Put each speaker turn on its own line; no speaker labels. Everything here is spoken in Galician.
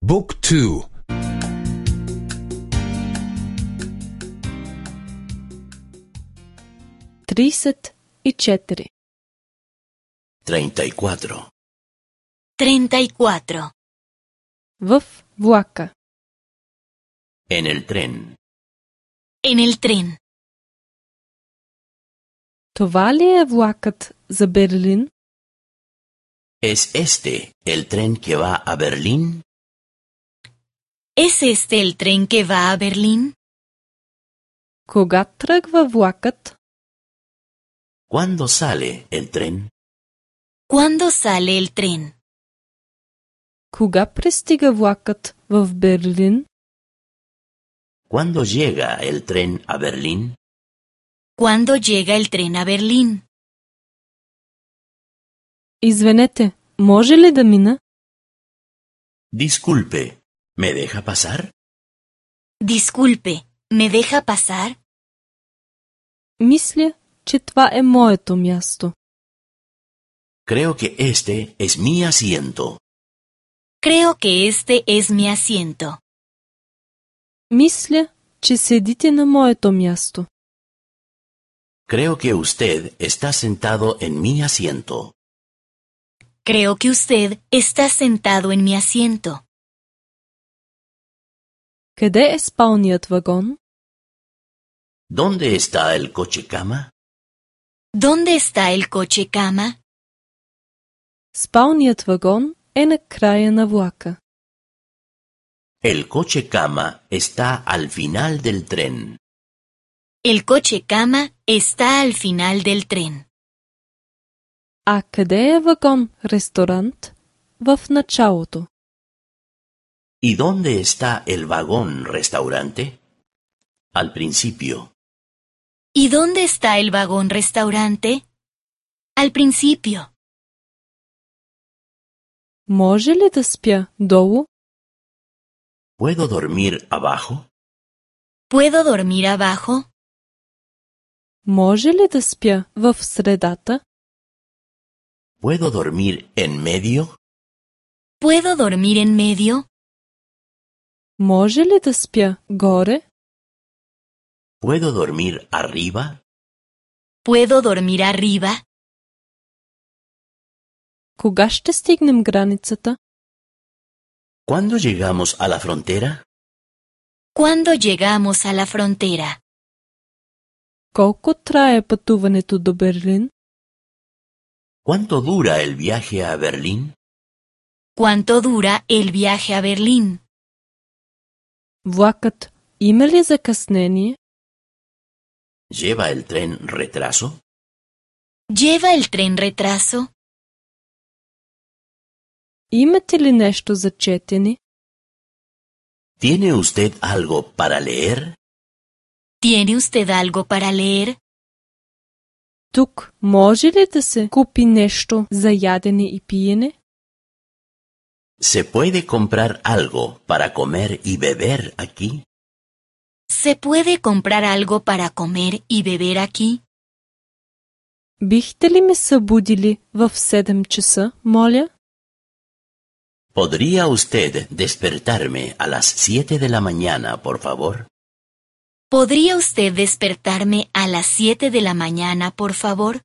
Book 2.
34.
34.
34.
В влака.
En el tren.
En el tren.
Това ли е влакът за Берлин?
¿Es este el tren que va a Berlín?
¿Es este el tren que va a Berlín?
Кога тръгва влакът?
¿Cuándo sale el tren?
¿Cuándo sale el tren?
Кога пристига влакът в Берлин?
¿Cuándo llega el tren a Berlín?
¿Cuándo llega el tren a Berlín?
Извинете, може ли да мина?
Disculpe, ¿me deja pasar?
Disculpe, ¿me deja pasar?
Мисля, че това е моето място.
Creo que este es mi asiento.
Creo que este es mi asiento.
Мисля, че седите на моето място.
Creo que usted está sentado en mi asiento.
Creo que usted está sentado en mi asiento.
Къде е спалният вагон?
¿Dónde está el coche cama?
¿Dónde está el coche cama?
Спалният вагон е на края на влака.
El coche cama está al final del tren.
El coche cama está al final del tren.
А къде е вагон-ресторант в началото?
¿Y dónde está el vagón restaurante? Al principio.
¿Y dónde está el vagón restaurante? Al principio.
Може ли да спя долу?
¿Puedo dormir abajo?
¿Puedo dormir abajo?
Може ли да спя в средата?
¿Puedo dormir en medio?
¿Puedo dormir en medio?
Може ли да спя горе?
¿Puedo dormir arriba?
¿Puedo dormir arriba?
Кога ще стигнем границата?
¿Cuándo llegamos a la frontera?
¿Cuándo llegamos a la frontera?
Колко трае пътуването до Берлин?
¿Cuánto dura el viaje a Berlín?
¿Cuánto dura el viaje a Berlín?
Влакът има ли закъснение?
¿Lleva el tren retraso?
¿Lleva el tren retraso?
Имате ли нещо за четене?
¿Tiene usted algo para leer?
¿Tiene usted algo para leer?
Тук може ли да се купи нещо за ядене и пиене?
¿Se puede comprar algo para comer y beber aquí?
¿Se puede comprar algo para comer y beber aquí?
Бихте ли ме събудили в 7 часа, моля?
¿Podría usted despertarme a las 7 de la mañana, por favor?
¿Podría usted despertarme a las 7 de la mañana, por favor?